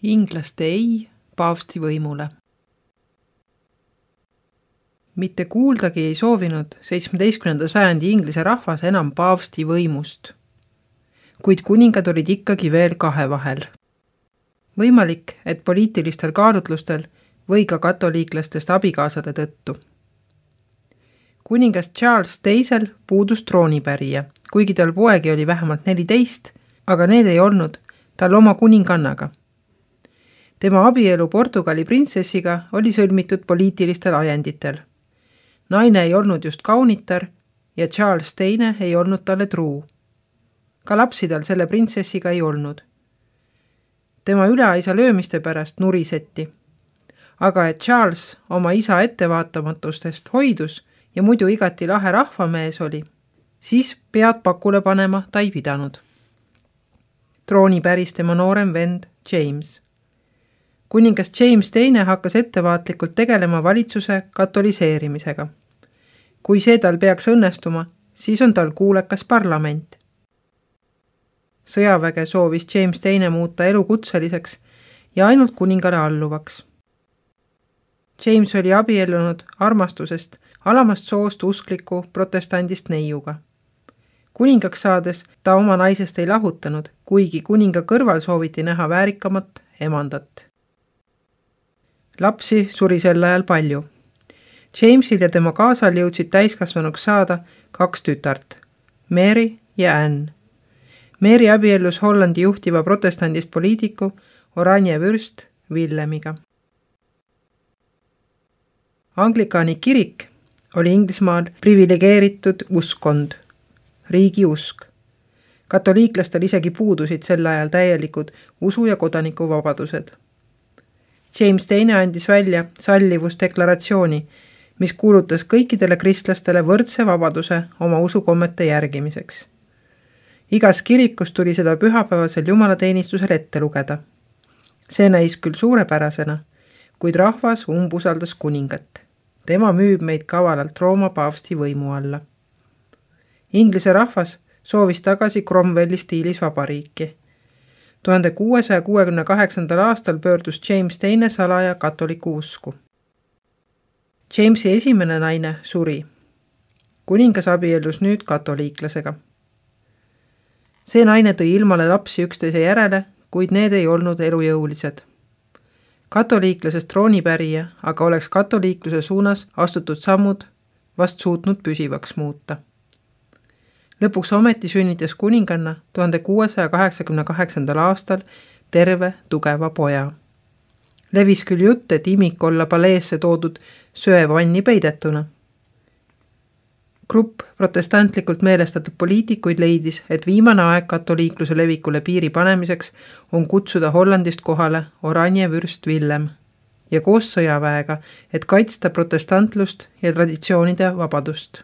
Inglaste ei paavsti võimule. Mitte kuuldagi ei soovinud 17. sajandi Inglise rahvas enam paavsti võimust, kuid kuningad olid ikkagi veel kahe vahel. Võimalik, et poliitilistel kaalutlustel või ka katoliiklastest abikaasade tõttu. Kuningas Charles II puudus troonipärija, kuigi tal poegi oli vähemalt 14, aga need ei olnud tal oma kuningannaga. Tema abielu Portugali printsessiga oli sõlmitud poliitilistel ajenditel. Naine ei olnud just kaunitar ja Charles II ei olnud talle truu. Ka lapsi tal selle printsessiga ei olnud. Tema üleaisa löömiste pärast nuriseti. Aga et Charles oma isa ettevaatamatustest hoidus ja muidu igati lahe rahvamees oli, siis pead pakule panema ta ei pidanud. Trooni päris tema noorem vend James. Kuningas James II hakkas ettevaatlikult tegelema valitsuse katoliseerimisega. Kui see tal peaks õnnestuma, siis on tal kuulekas parlament. Sõjaväge soovis James II muuta elukutseliseks ja ainult kuningale alluvaks. James oli abiellunud armastusest alamast soost uskliku protestandist neiuga. Kuningaks saades ta oma naisest ei lahutanud, kuigi kuninga kõrval sooviti näha väärikamat emandat. Lapsi suri sel ajal palju. Jamesil ja tema kaasal jõudsid täiskasvanuks saada 2 tütart, Mary ja Anne. Mary abiellus Hollandi juhtiva protestandist poliitiku Oranje vürst Willemiga. Anglikaani kirik oli Inglismaal privilegeeritud uskond, riigi usk. Katoliiklastel isegi puudusid sel ajal täielikud usu- ja kodanikuvabadused. James II andis välja sallivusdeklaratsiooni, mis kuulutas kõikidele kristlastele võrdse vabaduse oma usukommete järgimiseks. Igas kirikus tuli seda pühapäevasel jumalateenistusel ette lugeda. See näis küll suurepärasena, kuid rahvas umbusaldas kuningat. Tema müüb meid kavalalt Rooma paavsti võimu alla. Inglise rahvas soovis tagasi Cromwelli stiilis vabariiki. 1668. aastal pöördus James II salaja katoliku usku. Jamesi esimene naine suri. Kuningas abiellus nüüd katoliiklasega. See naine tõi ilmale lapsi üksteise järele, kuid need ei olnud elujõulised. Katoliiklasest troonipärija aga oleks katoliikluse suunas astutud sammud vast suutnud püsivaks muuta. Lõpuks ometi sünnitas kuninganna 1688. aastal terve tugeva poja. Levis küll jutt, et imik olla paleesse toodud söevanni peidetuna. Grupp protestantlikult meelestatud poliitikuid leidis, et viimane aeg katoliikluse levikule piiri panemiseks on kutsuda Hollandist kohale Oranje vürst Willem ja koos sõjaväega, et kaitsta protestantlust ja traditsioonide vabadust.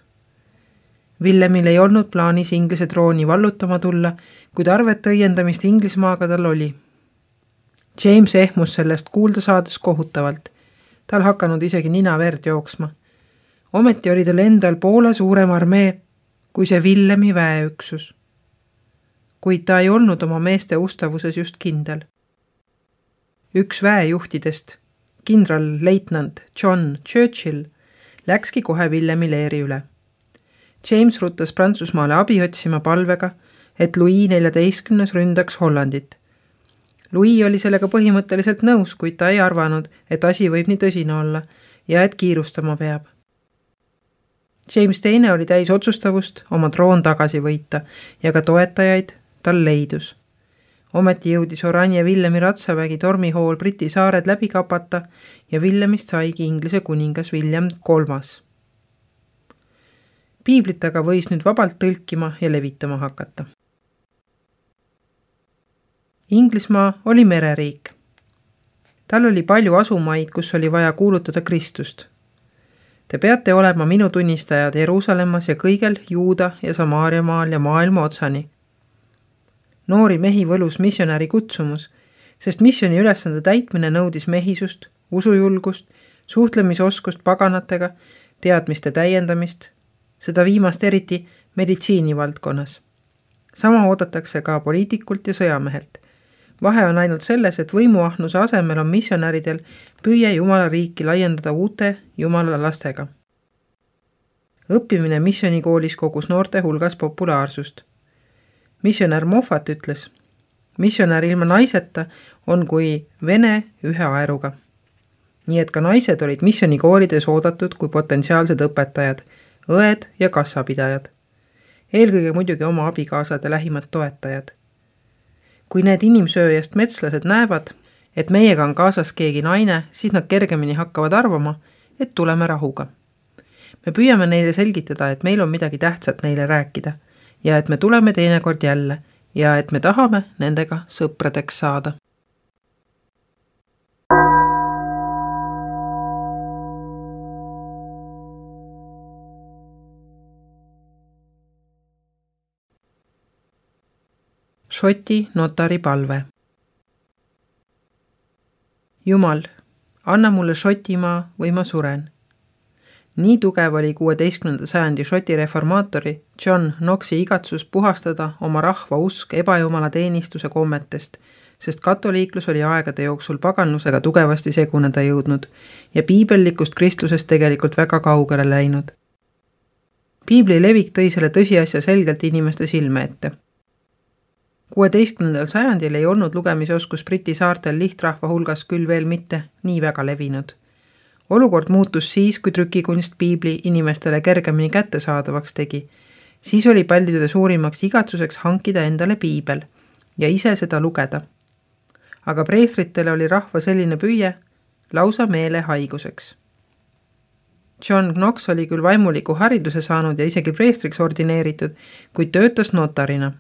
Willemil ei olnud plaanis Inglise trooni vallutama tulla, kuid arvete õiendamist Inglismaaga tal oli. James ehmus sellest kuulda saades kohutavalt. Tal hakanud isegi nina verd jooksma. Ometi oli tal endal poole suurem armee kui see Willemi väeüksus. Kuid ta ei olnud oma meeste ustavuses just kindel. Üks väejuhtidest, kindralleitnant John Churchill, läkski kohe Willemi leeri üle. James ruttas Prantsusmaale abi otsima palvega, et Louis XIV ründaks Hollandit. Louis oli sellega põhimõtteliselt nõus, kuid ta ei arvanud, et asi võib nii tõsine olla ja et kiirustama peab. James II oli täis otsustavust oma troon tagasi võita ja ka toetajaid tal leidus. Ometi jõudis Oranje Willemi ratsavägi tormihool Briti saared läbi kapata ja Willemist saigi Inglise kuningas William III. Piiblit aga võis nüüd vabalt tõlkima ja levitama hakata. Inglismaa oli mereriik. Tal oli palju asumaid, kus oli vaja kuulutada Kristust. Te peate olema minu tunnistajad Jeruusalemmas ja kõigel Juuda ja Samaaria maal ja maailma otsani. Noori mehi võlus missionäri kutsumus, sest missiooni ülesande täitmine nõudis mehisust, usujulgust, suhtlemisoskust paganatega, teadmiste täiendamist, seda viimast eriti meditsiini valdkonnas. Sama oodatakse ka poliitikult ja sõjamehelt. Vahe on ainult selles, et võimuahnuse asemel on missionäridel püüe Jumala riiki laiendada uute Jumala lastega. Õppimine missionikoolis kogus noorte hulgas populaarsust. Missionär Moffat ütles, missionär ilma naiseta on kui vene ühe aeruga. Nii et ka naised olid missionikoolides oodatud kui potentsiaalsed õpetajad, õed ja kassapidajad. Eelkõige muidugi oma abikaasade lähimad toetajad. Kui need inimsööjast metslased näevad, et meiega on kaasas keegi naine, siis nad kergemini hakkavad arvama, et tuleme rahuga. Me püüame neile selgitada, et meil on midagi tähtsat neile rääkida ja et me tuleme teinekord jälle ja et me tahame nendega sõpradeks saada. Šoti notari palve. Jumal, anna mulle Šotimaa või ma suren. Nii tugev oli 16. sajandi Šoti reformaatori John Knoxi igatsus puhastada oma rahva usk ebajumala teenistuse kommetest, sest katoliiklus oli aegade jooksul paganlusega tugevasti seguneda jõudnud ja piibellikust kristlusest tegelikult väga kaugele läinud. Piibli levik tõi selle tõsiasja selgelt inimeste silme ette. 16. sajandil ei olnud lugemisoskus Briti saartel lihtrahva hulgas küll veel mitte nii väga levinud. Olukord muutus siis, kui trükikunst piibli inimestele kergemini kättesaadavaks tegi. Siis oli paljude suurimaks igatsuseks hankida endale piibel ja ise seda lugeda. Aga preestritele oli rahva selline püüe lausa meelehaiguseks. John Knox oli küll vaimuliku hariduse saanud ja isegi preestriks ordineeritud, kuid töötas notarina.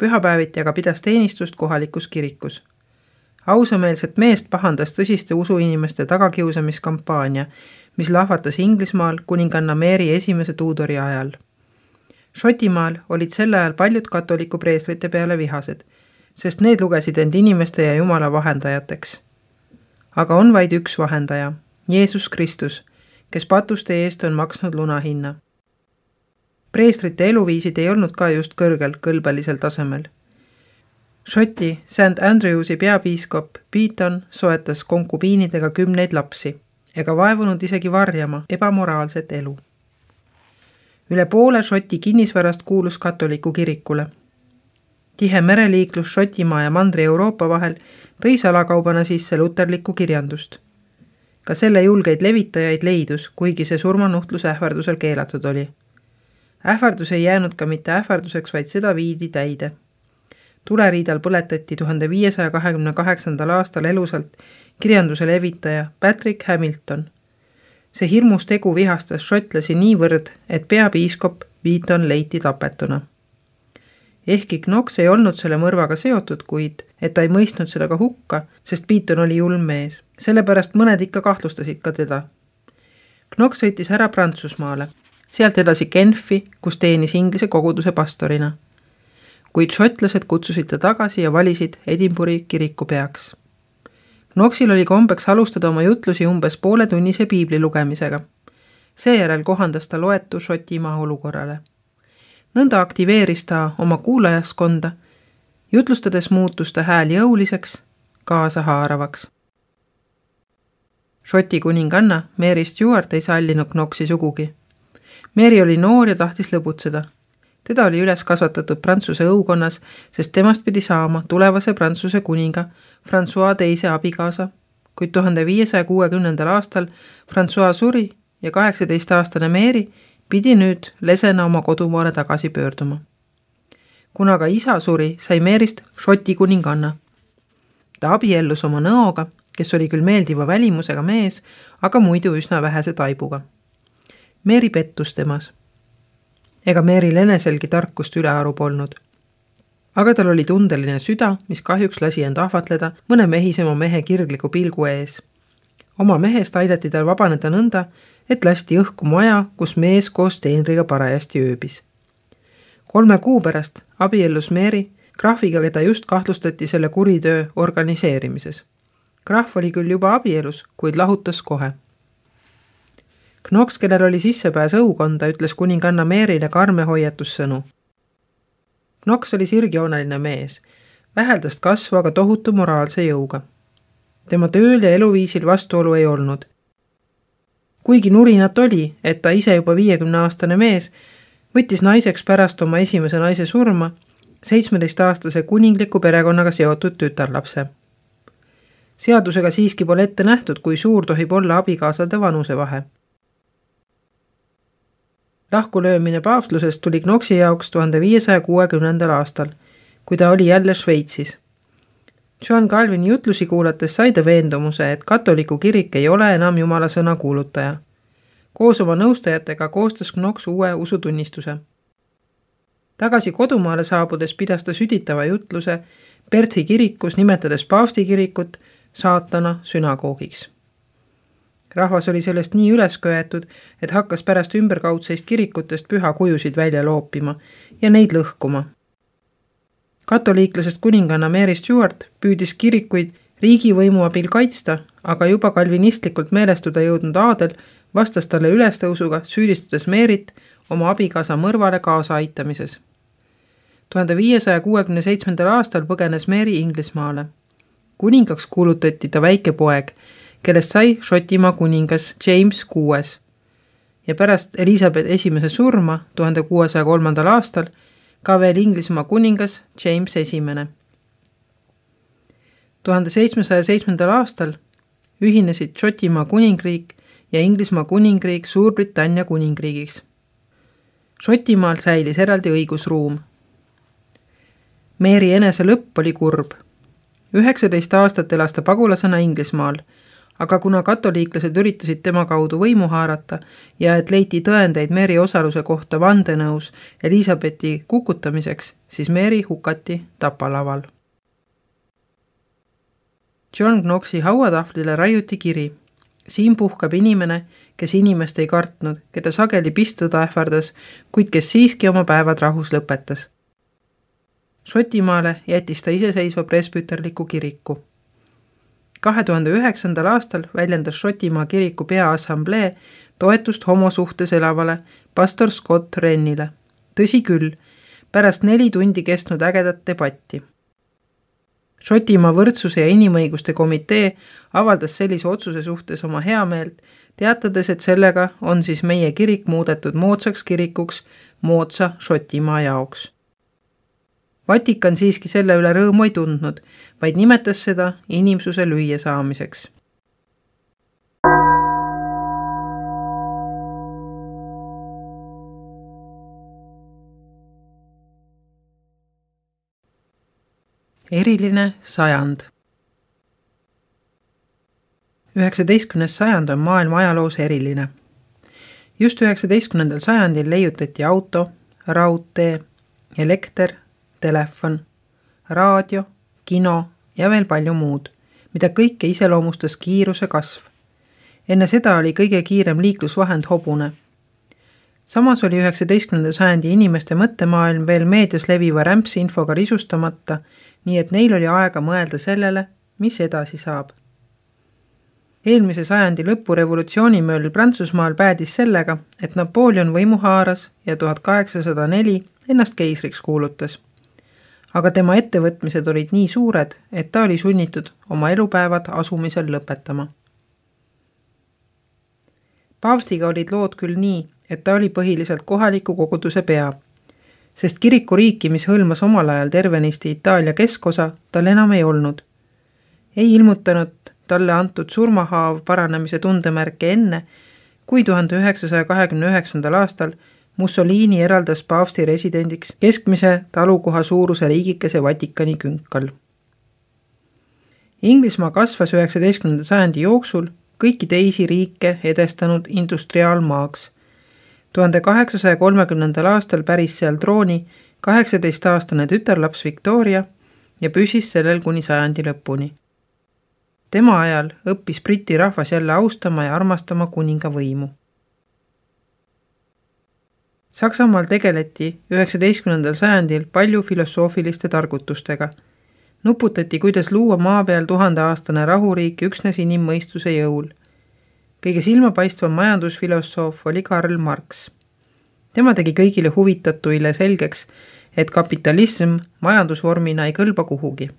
Pühapäeviti aga pidas teenistust kohalikus kirikus. Ausameelset meest pahandas tõsiste usuinimeste tagakiusamiskampaania, mis lahvatas Inglismaal kuninganna Mary esimese Tudori ajal. Šotimaal olid sel ajal paljud katoliku preestrite peale vihased, sest need lugesid end inimeste ja Jumala vahendajateks. Aga on vaid üks vahendaja, Jeesus Kristus, kes patuste eest on maksnud lunahinna. Preestrite eluviisid ei olnud ka just kõrgel kõlbelisel tasemel. Šoti St. Andrewsi peapiiskop Beaton soetas konkubiinidega 10 lapsi ega vaevunud isegi varjama ebamoraalset elu. Üle poole Šoti kinnisvarast kuulus katoliku kirikule. Tihe mereliiklus Šotimaa ja Mandri-Euroopa vahel tõi salakaubana sisse luterlikku kirjandust. Ka selle julgeid levitajaid leidus, kuigi see surmanuhtlus ähvardusel keelatud oli. Ähvardus ei jäänud ka mitte ähvarduseks, vaid seda viidi täide. Tuleriidal põletati 1528. aastal elusalt kirjanduse levitaja Patrick Hamilton. See hirmus tegu vihastas šotlasi niivõrd, et peapiiskop Beaton leiti tapetuna. Ehkki Knox ei olnud selle mõrvaga seotud, kuid et ta ei mõistnud seda ka hukka, sest Beaton oli julm mees. Sellepärast mõned ikka kahtlustasid ka teda. Knox sõitis ära Prantsusmaale. Sealt edasi Genfi, kus teenis Inglise koguduse pastorina. Kuid šotlased kutsusid ta tagasi ja valisid Edinburghi kiriku peaks. Knoxil oli kombeks alustada oma jutlusi umbes pooletunnise piibli lugemisega. Seejärel kohandas ta loetu Šotimaa olukorrale. Nõnda aktiveeris ta oma kuulajaskonda, jutlustades muutus ta hääl jõuliseks, kaasahaaravaks. Šoti kuninganna Mary Stuart ei sallinud Knoxi sugugi. Mary oli noor ja tahtis lõbutseda. Teda oli üles kasvatatud Prantsuse õukonnas, sest temast pidi saama tulevase Prantsuse kuninga François teise abikaasa, kuid 1560. aastal François suri ja 18-aastane Mary pidi nüüd lesena oma kodumaale tagasi pöörduma. Kuna ka isa suri, sai Maryst Šoti kuninganna. Ta abiellus oma nõoga, kes oli küll meeldiva välimusega mees, aga muidu üsna vähese taibuga. Mary pettus temas. Ega Maryl eneselgi tarkust ülearu polnud. Aga tal oli tundeline süda, mis kahjuks lasi end ahvatleda mõne mehisema mehe kirgliku pilgu ees. Oma mehest aidati tal vabaneda nõnda, et lasti õhku maja, kus mees koos teenriga parajasti ööbis. 3 kuu pärast abiellus Mary krahviga, keda just kahtlustati selle kuritöö organiseerimises. Krahv oli küll juba abielus, kuid lahutas kohe. Knox, kellel oli sissepääs õukonda, ütles kuninganna Maryle karme hoiatussõnu. Knox oli sirgjooneline mees, väheldast kasvu aga tohutu moraalse jõuga. Tema tööl ja eluviisil vastuolu ei olnud. Kuigi nurinat oli, et ta ise juba 50-aastane mees võttis naiseks pärast oma esimese naise surma 17-aastase kuningliku perekonnaga seotud tütarlapse. Seadusega siiski pole ette nähtud, kui suur tohib olla abikaasade vanusevahe. Lahkulöömine paavstlusest tuli Knoxi jaoks 1560. aastal, kui ta oli jälle Šveitsis. John Calvini jutlusi kuulates sai ta veendumuse, et katoliku kirik ei ole enam Jumala sõna kuulutaja. Koos oma nõustajatega koostas Knox uue usutunnistuse. Tagasi kodumaale saabudes pidas ta süditava jutluse Perthi kirikus, nimetades paavsti kirikut saatana sünagoogiks. Rahvas oli sellest nii üles köetud, et hakkas pärast ümberkaudseist kirikutest pühakujusid välja loopima ja neid lõhkuma. Katoliiklasest kuninganna Mary Stuart püüdis kirikuid riigivõimu abil kaitsta, aga juba kalvinistlikult meelestuda jõudnud aadel vastas talle ülestõusuga, süüdistades Maryt oma abikaasa mõrvale kaasa aitamises. 1567. aastal põgenes Mary Inglismaale. Kuningaks kuulutati ta väike poeg, kellest sai Šotimaa kuningas James VI ja pärast Elizabeth I surma 1603. aastal ka veel Inglismaa kuningas James I. 1707. aastal ühinesid Šotimaa kuningriik ja Inglismaa kuningriik Suurbritannia kuningriigiks. Šotimaal säilis eraldi õigusruum. Mary enese lõpp oli kurb. 19 aastat elas ta pagulasena Inglismaal, aga kuna katoliiklased üritasid tema kaudu võimu haarata ja et leiti tõendeid Mary osaluse kohta vandenõus Elizabethi kukutamiseks, siis Mary hukati tapalaval. John Knoxi hauatahvlile raiuti kiri. Siin puhkab inimene, kes inimest ei kartnud, keda sageli pistuda ähvardas, kuid kes siiski oma päevad rahus lõpetas. Šotimaale jättis ta iseseisva presbüterliku kiriku. 2009. aastal väljendas Šotimaa kiriku peaassamblee toetust homosuhtes elavale pastor Scott Wrenile. Tõsi küll, pärast 4 tundi kestnud ägedat debatti. Šotimaa võrdsuse ja inimõiguste komitee avaldas sellise otsuse suhtes oma heameelt, teatades, et sellega on siis meie kirik muudetud moodsaks kirikuks moodsa Šotimaa jaoks. Vatikan siiski selle üle rõõmu ei tundnud, vaid nimetas seda inimsuse lüüa saamiseks. Eriline sajand. 19. sajand on maailma ajaloos eriline. Just 19. sajandil leiutati auto, raudtee, elekter, telefon, raadio, kino ja veel palju muud, mida kõike iseloomustas kiiruse kasv. Enne seda oli kõige kiirem liiklusvahend hobune. Samas oli 19. sajandi inimeste mõttemaailm veel meedias leviva rämpsinfoga risustamata, nii et neil oli aega mõelda sellele, mis edasi saab. Eelmise sajandi lõpu revolutsioonimööl Prantsusmaal päädis sellega, et Napoleon võimu haaras ja 1804 ennast keisriks kuulutas. Aga tema ettevõtmised olid nii suured, et ta oli sunnitud oma elupäevad asumisel lõpetama. Paavstiga olid lood küll nii, et ta oli põhiliselt kohaliku koguduse pea, sest kirikuriiki, mis hõlmas omal ajal tervenisti Itaalia keskosa, tal enam ei olnud. Ei ilmutanud talle antud surmahaav paranemise tundemärke enne, kui 1929. aastal Mussolini eraldas paavsti residendiks keskmise talukoha suuruse riigikese Vatikani künkal. Inglismaa kasvas 19. sajandi jooksul kõiki teisi riike edestanud industriaalmaaks. 1830. aastal päris seal trooni 18-aastane tütarlaps Victoria ja püsis sellel kuni sajandi lõpuni. Tema ajal õppis Briti rahvas jälle austama ja armastama kuninga võimu. Saksamaal tegeleti 19. sajandil palju filosoofiliste targutustega. Nuputati, kuidas luua maa peal 1000-aastane rahuriik üksnes inimmõistuse jõul. Kõige silmapaistvam majandusfilosoof oli Karl Marx. Tema tegi kõigile huvitatuile selgeks, et kapitalism majandusvormina ei kõlba kuhugi.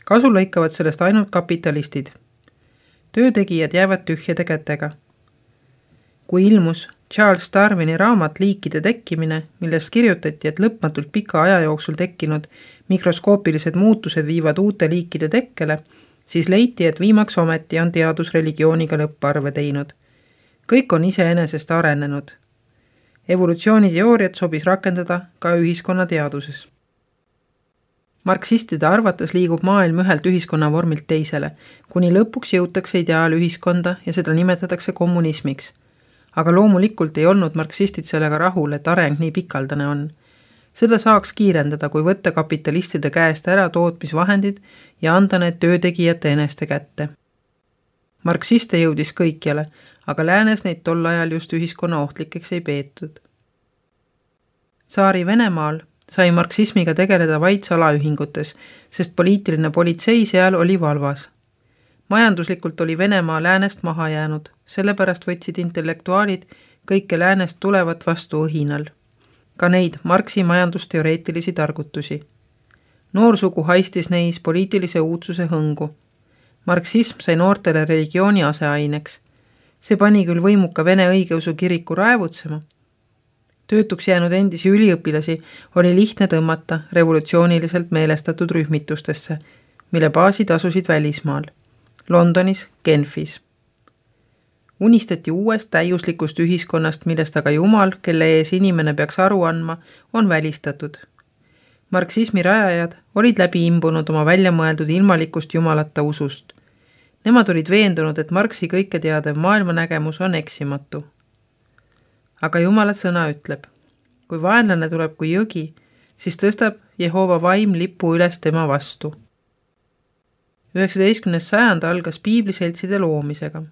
Kasu lõikavad sellest ainult kapitalistid. Töötegijad jäävad tühjade kätega. Kui ilmus Charles Darwini raamat Liikide tekkimine, milles kirjutati, et lõpmatult pika aja jooksul tekkinud mikroskoopilised muutused viivad uute liikide tekkele, siis leiti, et viimaks ometi on teadus religiooniga lõpparve teinud. Kõik on iseenesest arenenud. Evolutsiooniteooriat sobis rakendada ka ühiskonnateaduses. Marksistide arvates liigub maailm ühelt ühiskonnavormilt teisele, kuni lõpuks jõutakse ideaalühiskonda ja seda nimetatakse kommunismiks. Aga loomulikult ei olnud marksistid sellega rahul, et areng nii pikaldane on. Seda saaks kiirendada, kui võtta kapitalistide käest ära tootmisvahendid ja anda need töötegijate eneste kätte. Marksiste jõudis kõikjale, aga läänes neid tol ajal just ühiskonna ohtlikeks ei peetud. Tsaari Venemaal sai marksismiga tegeleda vaid salaühingutes, sest poliitiline politsei seal oli valvas. Majanduslikult oli Venemaa läänest maha jäänud, sellepärast võtsid intellektuaalid kõike läänest tulevat vastu õhinal. Ka neid Marxi majandusteoreetilisi targutusi. Noorsugu haistis neis poliitilise uudsuse hõngu. Marksism sai noortele religiooni aseaineks. See pani küll võimuka Vene õigeusu kiriku raevutsema. Töötuks jäänud endisi üliõpilasi oli lihtne tõmmata revolutsiooniliselt meelestatud rühmitustesse, mille baasid asusid välismaal. Londonis, Genfis. Unistati uuest täiuslikust ühiskonnast, millest aga Jumal, kelle ees inimene peaks aru andma, on välistatud. Marksismi rajajad olid läbi imbunud oma väljamõeldud ilmalikust jumalata usust. Nemad olid veendunud, et Marxi kõike teadev maailmanägemus on eksimatu. Aga Jumala sõna ütleb, kui vaenlane tuleb kui jõgi, siis tõstab Jehova vaim lipu üles tema vastu. 19. sajand algas piibliseltside loomisega,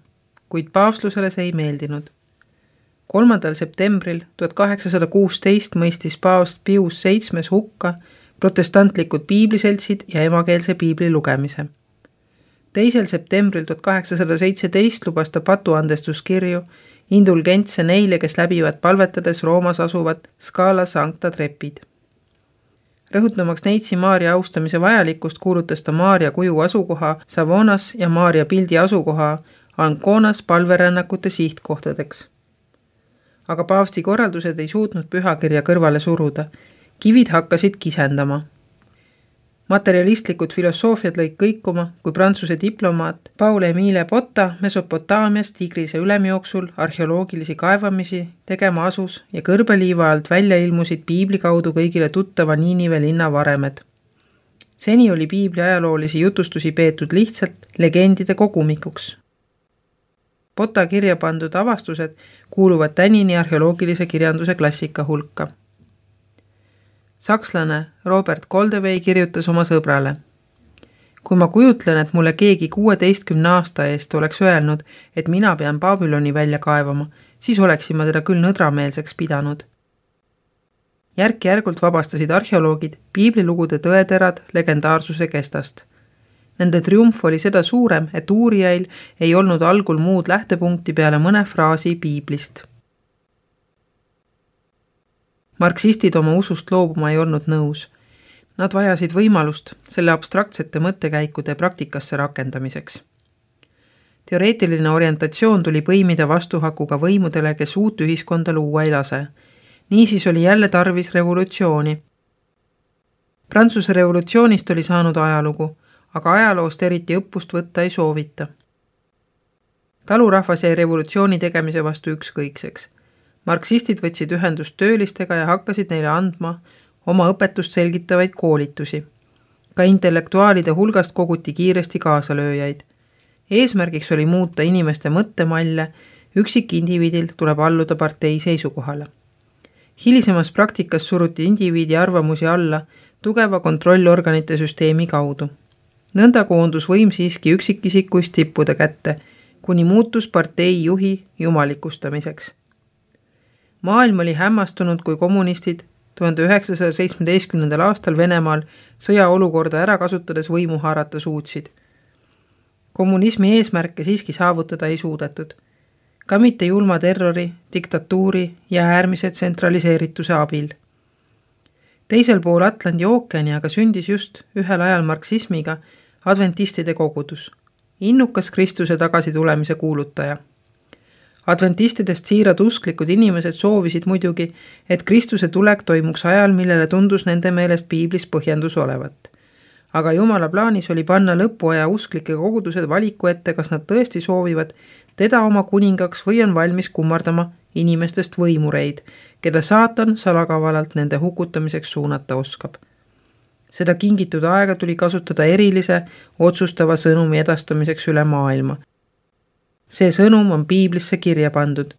kuid paavslusele see ei meeldinud. 3. septembril 1816 mõistis paavst Pius VII hukka protestantlikud piibliseltsid ja emakeelse piibli lugemise. 2. septembril 1817 lubas ta patuandestuskirju indulgentse neile, kes läbivad palvetades Roomas asuvad Scala Sancta trepid. Rõhutamaks neitsi Maaria austamise vajalikkust kuulutas ta Maaria kuju asukoha Savonas ja Maaria pildi asukoha Anconas palverännakute sihtkohtadeks. Aga paavsti korraldused ei suutnud pühakirja kõrvale suruda. Kivid hakkasid kisendama. Materialistlikud filosoofiad lõid kõikuma, kui prantsuse diplomaat Paul-Émile Botta Mesopotaamias Tigrise ülemjooksul arheoloogilisi kaevamisi tegema asus ja kõrbeliiva alt välja ilmusid piibli kaudu kõigile tuttava Niinive linna varemed. Seni oli piibli ajaloolisi jutustusi peetud lihtsalt legendide kogumikuks. Botta kirja pandud avastused kuuluvad tänini arheoloogilise kirjanduse klassika hulka. Sakslane Robert Goldewey kirjutas oma sõbrale. Kui ma kujutlen, et mulle keegi 16 aasta eest oleks öelnud, et mina pean Babyloni välja kaevama, siis oleksin ma teda küll nõdrameelseks pidanud. Järk-järgult vabastasid arheoloogid piiblilugude tõeterad legendaarsuse kestast. Nende triumf oli seda suurem, et uurijail ei olnud algul muud lähtepunkti peale mõne fraasi piiblist. Marksistid oma usust loobuma ei olnud nõus. Nad vajasid võimalust selle abstraktsete mõttekäikude praktikasse rakendamiseks. Teoreetiline orientatsioon tuli põimida vastuhakuga võimudele, kes uut ühiskonda luua ei lase. Niisiis oli jälle tarvis revolutsiooni. Prantsuse revolutsioonist oli saanud ajalugu, aga ajaloost eriti õppust võtta ei soovita. Talurahvas jäi revolutsiooni tegemise vastu ükskõikseks. Marksistid võtsid ühendust töölistega ja hakkasid neile andma oma õpetust selgitavaid koolitusi. Ka intellektuaalide hulgast koguti kiiresti kaasalööjaid. Eesmärgiks oli muuta inimeste mõttemalle, üksikindiviidil tuleb alluda partei seisukohale. Hilisemas praktikas suruti indiviidi arvamusi alla tugeva kontrollorganite süsteemi kaudu. Nõnda koondus võim siiski üksikisikuist tippude kätte, kuni muutus partei juhi jumalikustamiseks. Maailm oli hämmastunud, kui kommunistid 1917. aastal Venemaal sõjaolukorda ära kasutades võimu haarata suutsid. Kommunismi eesmärke siiski saavutada ei suudetud. Ka mitte julma terrori, diktatuuri ja äärmise tsentraliseerituse abil. Teisel pool Atlandi ookeani aga sündis just ühel ajal marksismiga adventistide kogudus, innukas Kristuse tagasitulemise kuulutaja. Adventistidest siirad usklikud inimesed soovisid muidugi, et Kristuse tulek toimuks ajal, millele tundus nende meelest piiblis põhjendus olevat. Aga Jumala plaanis oli panna lõpuaja usklike kogudused valiku ette, kas nad tõesti soovivad teda oma kuningaks või on valmis kummardama inimestest võimureid, keda saatan salakavalalt nende hukutamiseks suunata oskab. Seda kingitud aega tuli kasutada erilise, otsustava sõnumi edastamiseks üle maailma. See sõnum on piiblisse kirja pandud